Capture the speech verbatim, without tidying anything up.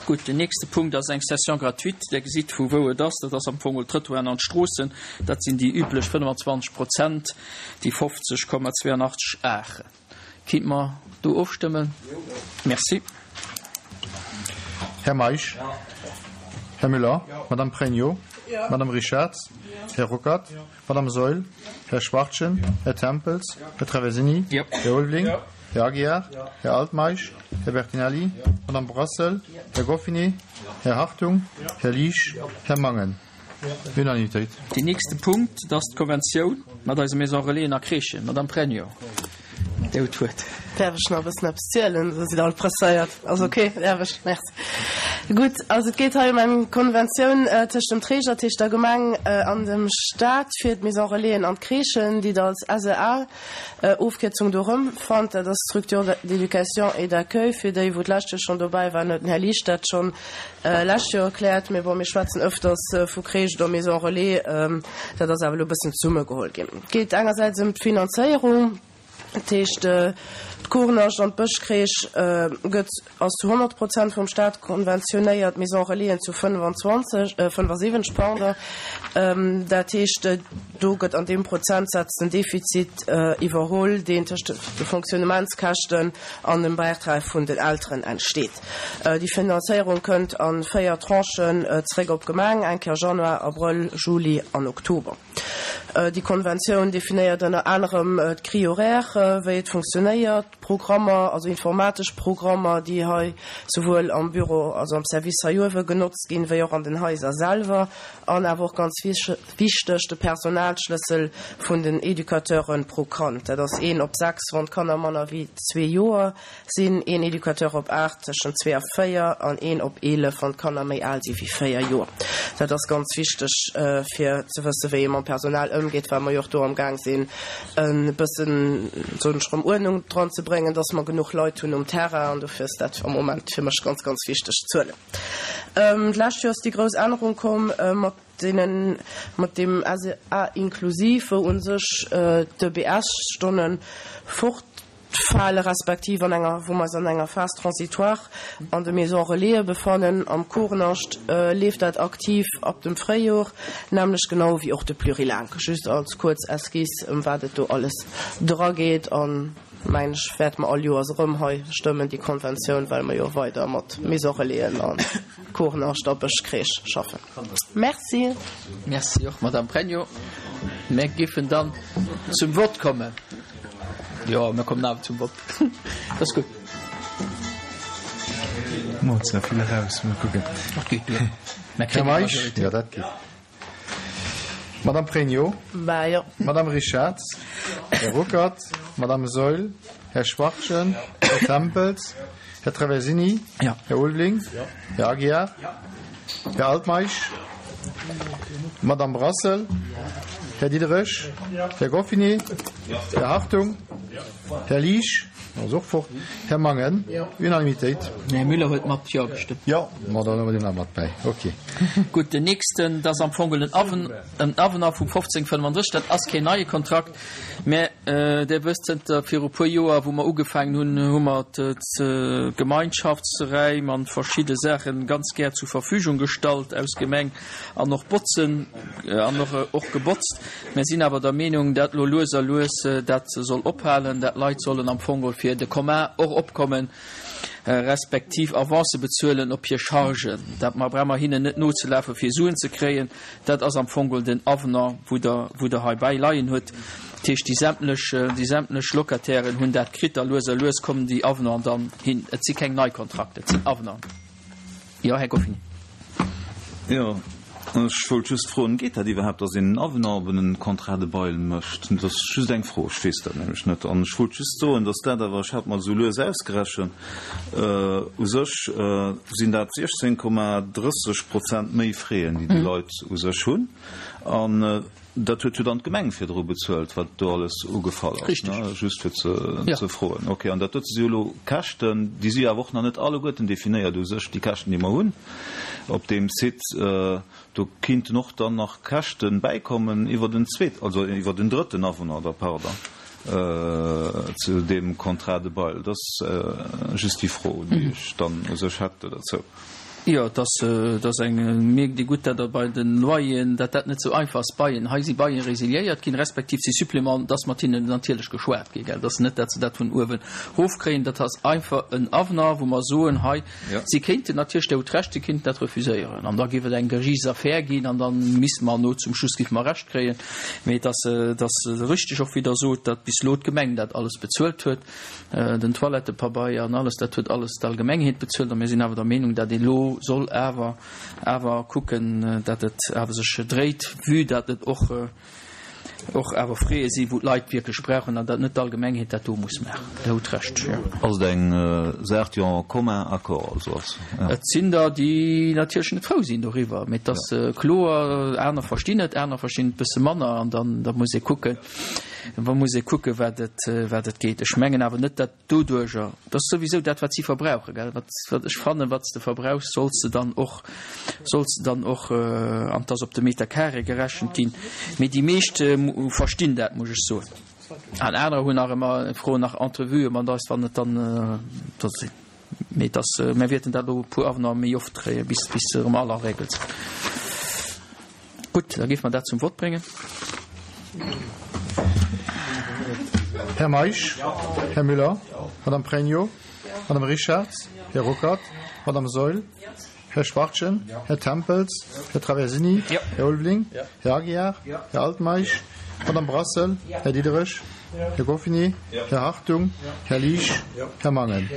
Gutt, den nächste Punkt ass eng Cession gratuite. Där gesitt, vu wou et ass. Dat ass am Fong d'Trëttoiren an d'Stroossen. Dat sinn déi üblech fënnwanzwanzeg Prozent, déi fofzeg Komma zweeënachtzeg Are. Kinnt mer do ofstëmmen? Merci. Här Meisch? Här Müller? Madame Pregno? Madame Richarz? Här Ruckert? Madame Saeul? Här Schwachtgen? Här Tempels? Här Traversini? Här Ulveling? Här Aguiar? Här Altmeisch? Här Bertinelli? Madame Brassel? Här Goffinet? Här Hartung? Här Liesch? Här Mangen? Unanimitéit. Deen nächste Punkt, dat ass d'Konventioun mat eise Maison Relaisen a Crèchen. Madame Pregno, Dir hutt d'Wuert. Däerf ech nach e bëssen eppes zielen? Oder sidd Der all presséiert? Ass ok, däerf ech? Merci. Gutt, also et geet hei ëm eng Konventioun tëscht dem Träger, dat heescht der Gemeng, an dem Stat fir d'Maison Relaisen an d'Crèchen, déi Der als S E A Ofkierzung do erëmfannt. Dat ass Structure d'éducation et d'accueil. Fir déi, wou d'lescht Joer schonn dobäi waren, huet den Här Liesch dat schonn lescht Joer erkläert. Mee bon, mir schwätzen ëfters vu Crèche oder Maison Relais. Dat ass awer elo e bëssen zesummegeholl ginn. Et geet engersäits ëm d'Finanzéierung. Dat heescht, d'Kournascht an d'Bëschcrèche gëtt, ass zu honnert Prozent vum Staat konventionéiert, d'Maison Relaisen zu fënnefanzwanzeg, fënnefasiwwenzeg, pardon. Dat heescht, do gëtt an deem Prozentsaz den Defizit iwwerholl, deen tëscht de Fonctionnementskäschten an dem Bäitrag vun den Elteren entsteet. Déi Finanzéierung kënnt a véier Tranchen zeréck op d'Gemeng, eng Kéier Januar, Abrëll, Juli an Oktober. Déi Konventioun definéiert ënner anerem d'Grille horaire, wéi et funktionéiert, d'Programmer, also informatesch Programmer, déi hei souwuel am Büro, also am Service hei uewe genotzt ginn, wéi och an den Haiser selwer, an awer och ganz wichteg, de Personalschlëssel vun den Educateure pro Kand. Dat ass een op sechs, wann d'Kanner manner wéi zwee Joer sinn, een Educateur op aacht tëschent zwee a véier an een op eelef, wann d'Kanner méi al si wéi véier Joer. Dat ass ganz wichteg, fir ze wëssen, wéi ee mam Personal ëmgeet, well mer jo och do amgaang sinn, e bëssen, soen ech erëm, Uerdnung dran ze bréngen, dass mer genuch Leit hunn um Terrain. An dofir ass dat am Moment fir mech ganz, ganz wichteg Zuelen. D'lescht Joer ass déi grouss Ännerung komm mat deenen, mat deem S E A inklusiv, wou u sech d'E B S-Stonne fortfale respektiv an enger, wou mer eis an enger Phase transitoire an de Maisons Relaisen befannen. Am Kournascht leeft dat aktiv ab dem Fréijor, nämlech genau wéi och de Plurilingue. Just als kuerz Esquisse, ëm wat et do alles dra geet. An mengen ech, wäerte mer all Joers erëm hei stëmmen, déi Konventioun, well mer jo weider mat Maisons Relaisen a Kournascht a Bëschcrèche schaffen. Merci. Merci och, Madame Pregno. Mir géifen dann zum Vott kommen. Jo, mir kommen awer zum Vott. Dat ass gutt. Mo ze vill eraus, mol kucken. Dat geet duer. Mir Här kréien eng Meisch? Majoritéit. Jo, dat geet. Madame Pregno? Bah, jo. Madame Richarz? Här Ruckert? Madame Saeul? Här Schwachtgen? Här Tempels? Här Traversini? Ja. Här Ulveling? Här Aguiar? Här Altmeisch? Madame Brassel? Här Diderich? Här Goffinet? Här Hartung? Här Liesch? Ass och fort. Här Mangen? Unanimitéit. Här Müller huet mat Jo gestëmmt. Jo, ma dann hu mer deen nach mat bäi. Okay. Gutt, den nächsten, dat ass am Fong en Aven, en Avenant vu fofzéng fënnefandrësseg. Dat ass keen neie Kontrakt, mä Dir wësst, zënter viru puer Joer, wou mer ugefaangen hunn, hu mer d'Gemeinschaftsräim an verschidde Saache ganz gär zur Verfügung gestallt aus Gemeng an och botzen an och, och gebotzt. Mir sinn awer der Meenung, dat lo lues a lues dat soll ophalen, dat Leit sollen am Fong fir de Commun och opkommen, respektiv Avance bezuelen op hir Chargen. Dat mer brauche mer hinnen net nozelafen, fir Suen ze kréien. Dat ass am Fong den Avenant, wou der, wou der hei bäileien huet. Dat heescht, déi sämtlech, déi sämtlech Locatairen hunn dat kritt a lues a lues kommen déi Avenant dann hin. Et si keng nei Kontrakter, et sinn Avenant. Jo, Här Goffinet. Jo, ech wollt just froen, geet dat iwwerhaapt, datt een en Avenant op en Contrat de bail mécht? Dat ass just eng Fro, ech weess dat nämlech net. An ech wollt just soen, datt dat awer, ech hat mer esou lues ausgerechent, u sech sinn dat siechzéng Komma drësseg Prozent méi Frais, déi déi Leit u sech hunn. An dat huet jo dann d'Gemeng virdru bezuelt, wat do alles ugefall ass, Richtig. ne? Just fir ze, Ja. ze froen. Okay, an dat dote si jo elo Käschten, déi si awer och nach net alleguerten definéiert u sech, déi Käschten, déi mer hunn op deem Site. Äh, do kinnten och dann nach Käschten bäikommen iwwer den zweet, also iwwer den drëtten Avenant, da pardon, äh, zu deem Contrat de bail. Dat ass äh, just déi Fro, déi ech dann u sech hätt dozou. Jo, et ass, et ass eng, mierkt ee gutt, datt der bei den Loyeren, datt dat net esou einfach ass, Baien, hei si Baien resiliéiert ginn, respektiv si Supplément, et ass mat hinnen natierlech geschwat ginn, gell, et ass net, datt se dat vun uewen erofkréien, dat ass einfach en Avenant, wou mer soen, hei, si kéinten natierlech, Dir hutt Recht, si kéinten dat refuséieren an da géif et eng Geriichtsaffär ginn an da misste mer no zum Schluss géife mer Recht kréien. Mee et ass, et ass richteg och, wéi Der sot, datt bis elo d'Gemeng dat alles bezuelt huet. Den Toilettepabeier an alles, dat huet alles d'Allgemengheet bezuelt. A mir sinn awer der Meenung, dat ee lo soll awer awer kucken, dat et awer sech dréit, vue dat et och och awer Frais sinn, wou d'Leit wierklech brauchen, an dat net d'Allgemengheet dat do muss maachen. Der hutt Recht, jo. Ass et eng Saach, déi en commun accord also ass? Jo. Et sinn der, déi natierlech net frou sinn doriwwer, mee et ass kloer, aner verstinn et, aner verstinn et e bësse manner, an dann da muss ee kucken. Da muss ee kucken, wat et, wat et geet. Ech mengen awer net, datt doduerjer, dat ass souwisou dat, wat si verbrauchen, gell, wat, wat ech fannen, wat s de verbrauchs, solls de dann och, solls de dann och, an 't ass op de Meter carré gerechent ginn. Mee déi meescht verstinn dat, muss ech soen. An anerer hunn nach ëmmer, froen nach Entrevuë mat eis, wann et dann do sinn. Mee et ass, mir wäerten dat elo e puer Avenante méi oft kréien, bis, bis se erëm all en règle sinn. Gutt, da géife mer dat zum Vott bréngen. Här Meisch, Här Müller, Madame Pregno, Madame Richarz, Här Ruckert, Madame Saeul, Här Schwachtgen, Här Tempels, Här Traversini, Här Ulveling, Här Aguiar, Här Altmeisch, Madame Brassel, Här Diderich, Här Goffinet, Här Hartung, Här Liesch, Här Mangen.